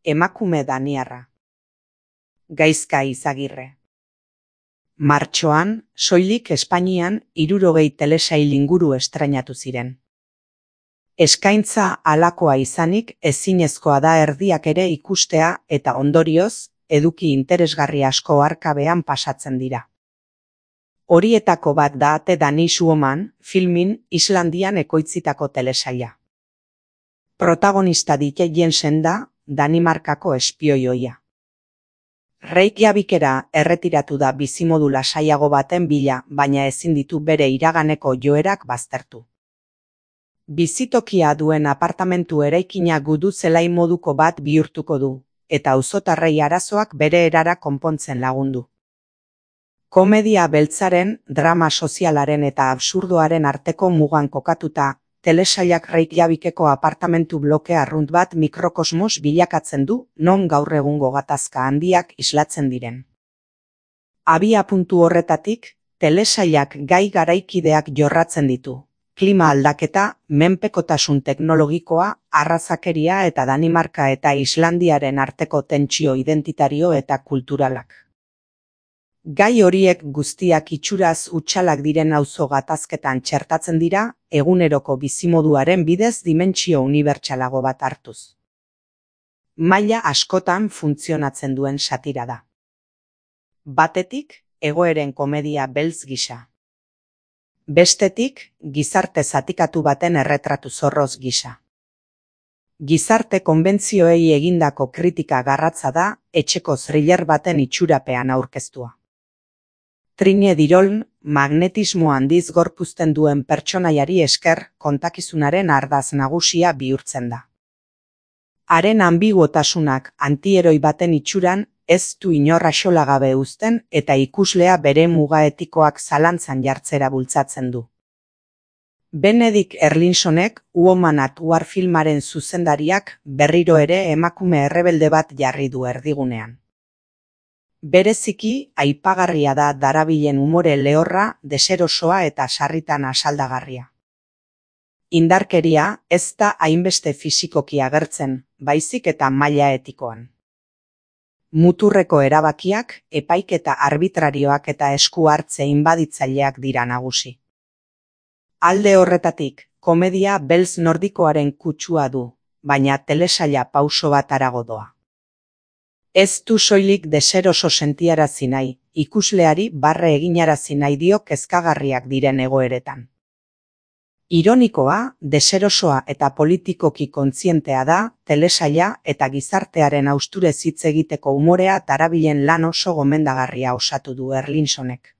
emakume daniarra. Gaizka Izagirre. Martxoan, soilik Espainian 60 telesail inguru estrainatu ziren. Eskaintza halakoa izanik ezinezkoa da erdiak ere ikustea eta ondorioz, eduki interesgarri asko arkabean pasatzen dira. Horietako bat da The Danish Woman filmin Islandian ekoitzitako telesaila. Protagonista Ditte Jensen da Danimarkako espioi ohia. Reykjavikera erretiratu da bizimodu lasaiago baten bila, baina ezin ditu bere iraganeko joerak baztertu. Bizitokia duen apartamentu eraikina gudu zelai moduko bat bihurtuko du, eta auzotarrei arazoak bere erara konpontzen lagundu. Komedia beltzaren, drama sozialaren eta absurdoaren arteko mugan kokatuta, telesailak Reykjavikeko apartamentu bloke arrunt bat mikrokosmos bilakatzen du, non gaur egungo gatazka handiak islatzen diren. Abiapuntu horretatik, telesailak gai garaikideak jorratzen ditu. Klima aldaketa, menpekotasun teknologikoa, arrazakeria eta Danimarka eta Islandiaren arteko tentsio identitario eta kulturalak. Gai horiek guztiak itxuraz hutsalak diren auzo gatazketan txertatzen dira, eguneroko bizimoduaren bidez dimentsio unibertsalago bat hartuz. Maila askotan funtzionatzen duen satira da. Batetik, egoeren komedia beltz gisa. Bestetik, gizarte zatikatu baten erretratu zorroz gisa. Gizarte konbentzioei egindako kritika garratza da, etxeko thriller baten itxurapean aurkeztua. Trine Diroln, magnetismo handiz gorpuzten duen pertsonaiari esker kontakizunaren ardaz nagusia bihurtzen da. Haren ambiguotasunak antieroi baten itxuran ez du inor axolagabe uzten eta ikuslea bere muga etikoak zalantzan jartzera bultzatzen du. Benedict Erlinsonek Woman at War filmaren zuzendariak berriro ere emakume errebelde bat jarri du erdigunean. Bereziki, aipagarria da darabilen umore lehorra, deserosoa eta sarritan asaldagarria. Indarkeria ez da hainbeste fisikoki agertzen, baizik eta maila etikoan. Muturreko erabakiak, epaiketa arbitrarioak eta esku hartze inbaditzaileak dira nagusi. Alde horretatik, komedia beltz nordikoaren kutsua du, baina telesaila pauso bat harago doa. Ez du soilik deseroso sentiarazi nahi, ikusleari barre eginarazi nahi dio kezkagarriak diren egoeretan. Ironikoa, deserosoa eta politikoki kontzientea da, telesaila eta gizartearen hausturez hitz egiteko umorea darabilen lan oso gomendagarria osatu du Erlinsonek.